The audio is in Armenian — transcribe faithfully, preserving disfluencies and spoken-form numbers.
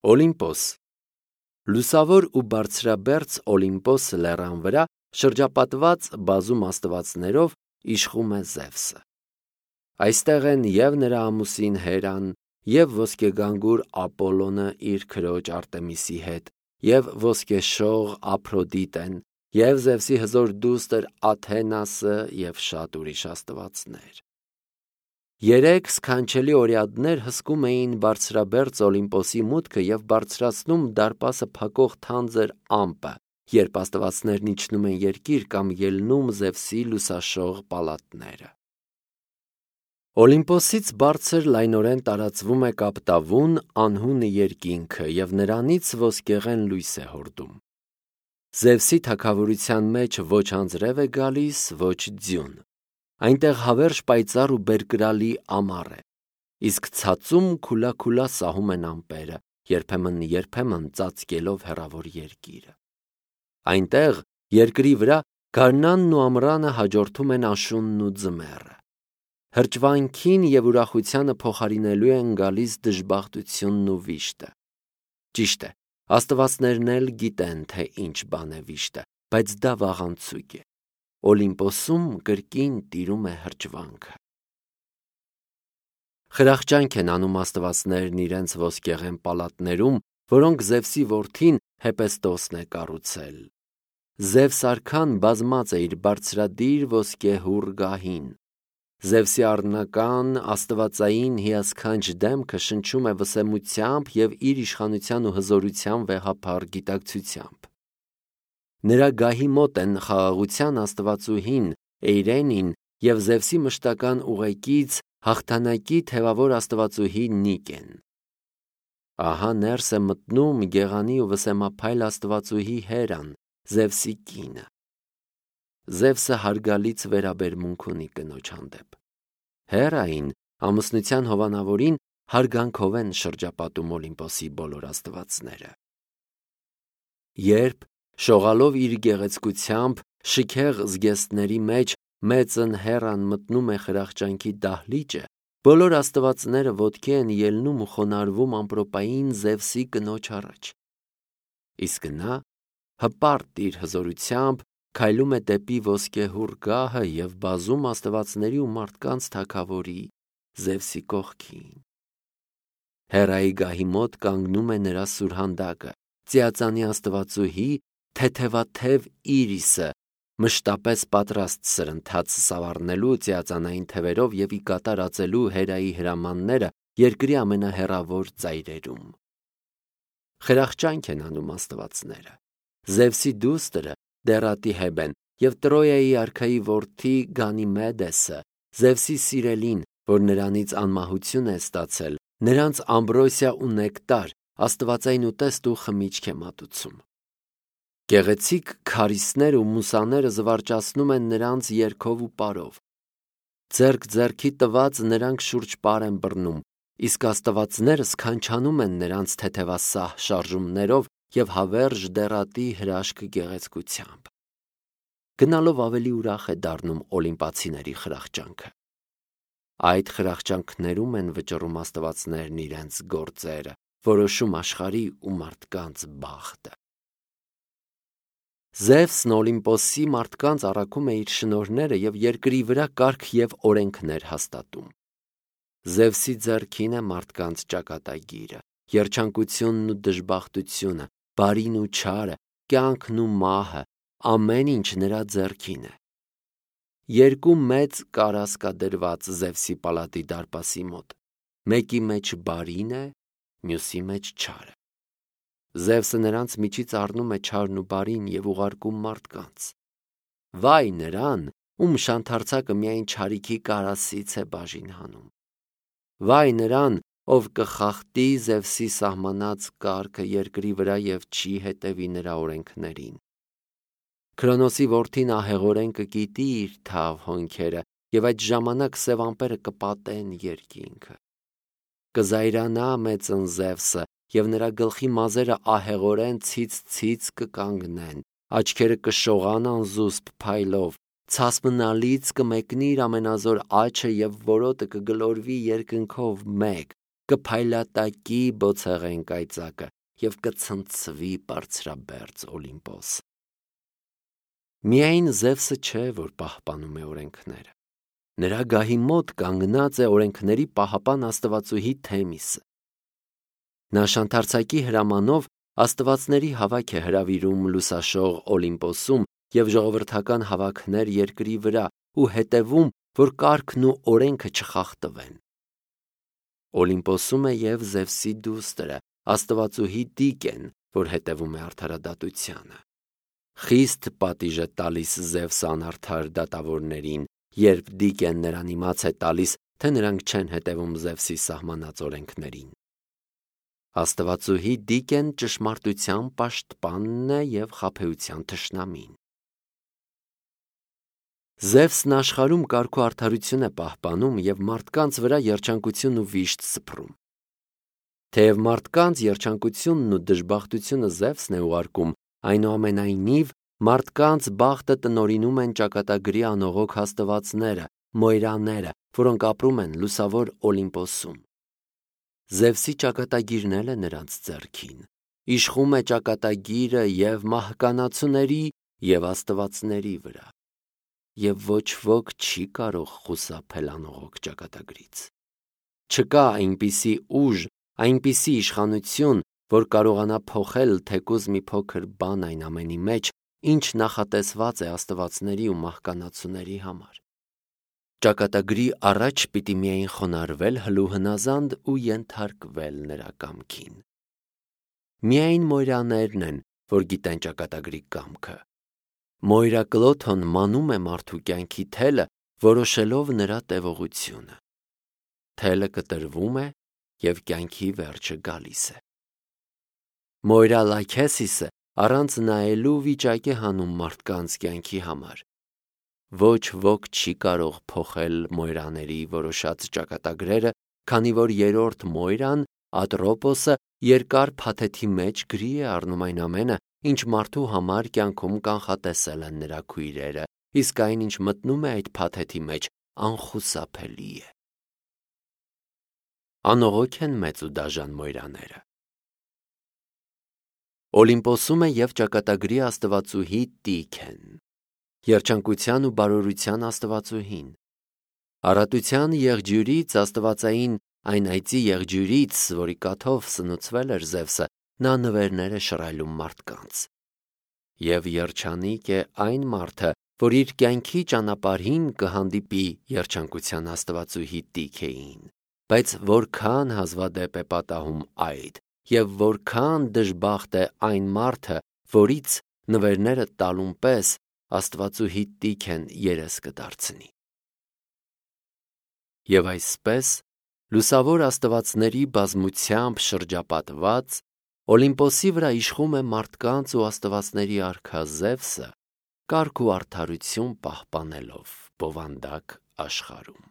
Օլիմպոս Լուսավոր ու բարձրաբերձ Օլիմպոս լեռան վրա շրջապատված բազում աստվածներով իշխում է Զևսը։ Այստեղ են և նրա ամուսին Հերան, և ոսկեգանգուր Ապոլոնը իր քրոջ Արտեմիսի հետ, և ոսկեշող Ափրոդիտեն, և Զևսի հզոր դուստր Աթենասը և շատ ուրիշ աստվածներ։ Երեք սքանչելի օրիադներ հսկում էին բարձրաբերձ Օլիմպոսի մուտքը և բարձրացնում դարպասը փակող թանձր ամպը, երբ աստվածներն իջնում են երկիր կամ ելնում Զևսի լուսաշող պալատները։ Օլիմպոսից բարձր լայնորեն տարածվում է կապտավուն անհուն երկինքը և նրանից ոսկեղեն լույս է հորդում։ Զևսի թագավորության մեջ ոչ անձրև է գալիս, ոչ ձյուն։ Այնտեղ հավերժ պայծառ ու բերկրալի ամառ է, իսկ ցածում քուլաքուլա սահում են ամպերը, երբեմն-երբեմն ծածկելով հեռավոր երկիրը։ Այնտեղ երկրի վրա գարնանն ու ամռանը հաջորդում են աշունն ու ձմեռը։ Հրճվանքին և ուրախությանը փոխարինելու են գալիս դժբախտությունն ու վիշտը։ Ճիշտ է, աստվածներն էլ գիտեն, թե ինչ բան է վիշտը, բայց դա վաղանցույկ է։ Օլիմպոսում կրկին տիրում է հրճվանքը։ Խրախճանք են անում աստվածներն իրենց ոսկեղեն պալատներում, որոնք Զևսի որդին Հեպեստոսն է կառուցել։ Զևս արքան բազմած է իր բարձրադիր ոսկեհուռ գահին։ Զևսի առնական աստվածային հիասքանչ դեմքը շնչում է վսեմությամբ և իր իշխանության ու հզորության վեհափառ գիտակցությամբ։ Նրա գահի մոտ են խաղաղության աստվածուհին Էյրենին և Զևսի մշտական ուղեկից հաղթանակի թևավոր աստվածուհի Նիկեն։ Ահա ներս է մտնում գեղանի ու վսեմափայլ աստվածուհի Հերան, Զևսի կինը։ Զևսը հարգալից վերաբերմունք ունի կնոջ հանդեպ։ Հերային, ամուսնության հովանավորին, հարգանքով են շրջապատում Օլիմպոսի բոլոր աստվածները։ Երբ, շողալով իր գեղեցկությամբ, շքեղ զգեստների մեջ մեծն Հերան մտնում է խրախճանքի դահլիճը, բոլոր աստվածները ոտքի են ելնում ու խոնարհվում ամպրոպային Զևսի կնոջ առաջ։ Իսկ նա, հպարտ իր հզորությամբ, քայլում է դեպի ոսկեհուռ գահը և բազում աստվածների ու մարդկանց թագավորի Զևսի կողքին։ Հերայի գահի մոտ կանգնում է նրա սուրհանդակը, ծիածանի աստվածուհի, թեթևաթև Իրիսը, մշտապես պատրաստ սրընթաց սավառնելու ծիածանային թևերով և ի կատար ածելու Հերայի հրամանները երկրի ամենահեռավոր ծայրերում։ Խրախճանք են անում աստվածները։ Զևսի դուստրը Դեռատի-Հեբեն և Տրոյայի արքայի որդի Գանիմեդեսը, Զևսի սիրելին, որ նրանից անմահություն է ստացել, նրանց ամբրոսիա ու նեկտար, աստվածային ուտեստ ու խմիչք է մատուցում։ Գեղեցիկ քարիստներ ու մուսաները զվարճացնում են նրանց երգով ու պարով։ Ձեռք ձեռքի տված նրանք շուրջ պար են բռնում, իսկ աստվածները սքանչանում են նրանց թեթևասահ շարժումներով և հավերժ դեռատի հրաշք գեղեցկությամբ։ Գնալով ավելի ուրախ է դառնում օլիմպացիների խրախճանքը։ Այդ խրախճանքներում են վճռում աստվածներն իրենց գործերը, որոշում աշխարհի ու մարդկանց բախտը։ Զևսն Օլիմպոսի մարդկանց առաքում է իր շնորհները և երկրի վրա կարգ և օրենքներ հաստատում։ Զևսի ձեռքին է մարդկանց ճակատագիրը, երջանկությունն ու դժբախտությունը, բարին ու չարը, կյանքն ու մահը, ամեն ինչ նրա ձեռքին է։ Երկու մեծ կարաս կա դրված Զևսի պալատի դարպասի մոտ, մեկի մեջ բարին է, մյուսի մեջ չարը։ Զևսը նրանց միջից առնում է չարն ու բարին և ուղարկում մարդկանց։ Վայ նրան, ում շանթարցակը միայն չարիքի կարասից է բաժին հանում։ Վայ նրան, ով կխախտի Զևսի սահմանած կարգը երկրի վրա և չի հետևի նրա օրենքներին։ Քրոնոսի որդին ահեղորեն կկիտի իր թավ հոնքերը, և այդ ժամանակ սև ամպերը կպատեն երկինքը։ Կզայրանա մեծն Զևսը, և նրա գլխի մազերը ահեղորեն ցից-ցից կկանգնեն, աչքերը կշողան անզուսպ փայլով, ցասմնալից կմեկնի իր ամենազոր աջը և որոտը կգլորվի երկնքով մեկ, կփայլատակի բոցեղեն կայծակը և կցնցվի բարձրաբերձ Օլիմպոս։ Միայն Զևսը չէ, որ պահպանում է օրենքները։ Նրա գահի մոտ կանգնած է օրենքների պահապան աստվածուհի Թեմիսը։ Նա շանթարցակի հրամանով աստվածների հավաք է հրավիրում լուսաշող Օլիմպոսում և ժողովրդական հավաքներ երկրի վրա ու հետևում, որ կարգն ու օրենքը չխախտվեն։ Օլիմպոսում է և Զևսի դուստրը, աստվածուհի Տիկեն, որ հետևում է արդարադատությանը։ Խիստ պատիժ է տալիս Զևսը անարդար դատավորներին, երբ Տիկեն նրան իմաց է տալիս, թե նրանք չեն հետևում Զևսի սահմանած օրենքներին։ Աստվածուհի Տիկեն ճշմարտության պաշտպանն է և խաբեության թշնամին։ Զևսն աշխարհում կարգ ու արդարություն է պահպանում և մարդկանց վրա երջանկություն ու վիշտ սփռում։ Թեև մարդկանց երջանկությունն ու դժբախտությունը Զևսն է ուղարկում, այնուամենայնիվ մարդկանց բախտը տնօրինում են ճակատագրի անողոք աստվածները, մոյրաները, որոնք ապրում են լուսավոր Օլիմպոսում։ Զևսի ճակատագիրն էլ է նրանց ձեռքին, իշխում է ճակատագիրը և մահկանացուների և աստվածների վրա, և ոչ ոք չի կարող խուսափել անողոք ճակատագրից։ Չկա այնպիսի ուժ, այնպիսի իշխանություն, որ կարողանա փոխել թեկուզ մի փոքր բան այն ամենի մեջ, ինչ նախատեսված է աստվածների ու մահկանացուների համար։ Ճակատագրի առաջ պիտի միայն խոնարհվել հլուհնազանդ ու ենթարկվել նրա կամքին։ Միայն մոյրաներն են, որ գիտեն ճակատագրի կամքը։ Մոյրակլոթոն մանում է մարդու կյանքի թելը, որոշելով նրա տևողությունը։ Թելը կտրվում է և կյանքի վերջը գալիս է։ Մոյրալաքեսիսը առանց նայելու վիճակ է հանում մարդկանց կյանքի համար։ Ոչ ոք չի կարող փոխել մոյրաների որոշած ճակատագրերը, քանի որ երրորդ մոյրան, Ատրոպոսը, երկար փաթեթի մեջ գրի է առնում այն ամենը, ինչ մարդու համար կյանքում կանխատեսել են նրա քույրերը, իսկ այն, ինչ մտնում է այդ փաթեթի մեջ, անխուսափելի է։ Անողոք են մեծ ու դաժան մոյրաները։ Օլիմպոսում է և ճակատագրի աստվածուհի Տիկեն, երջանկության ու բարօրության աստվածուհին։ Առատության եղջյուրից, աստվածային այն այծի եղջյուրից, որի կաթով սնուցվել էր Զևսը, նա նվերներ է շռայլում մարդկանց։ Եվ երջանիկ է այն մարդը, որ իր կյանքի ճանապարհին կհանդիպի երջանկության աստվածուհի Տիկեին, բայց որքան հազվադեպ է պատահում այդ, և որքան դժբախտ է այն մարդը, որից նվերները տալուն պես աստվածուհի Տիկեն երես կդարձնի։ Եվ այսպես, լուսավոր աստվածների բազմությամբ շրջապատված, Օլիմպոսի վրա իշխում է մարդկանց ու աստվածների արքա Զևսը, կարգ ու արդարություն պահպանելով բովանդակ աշխարհում։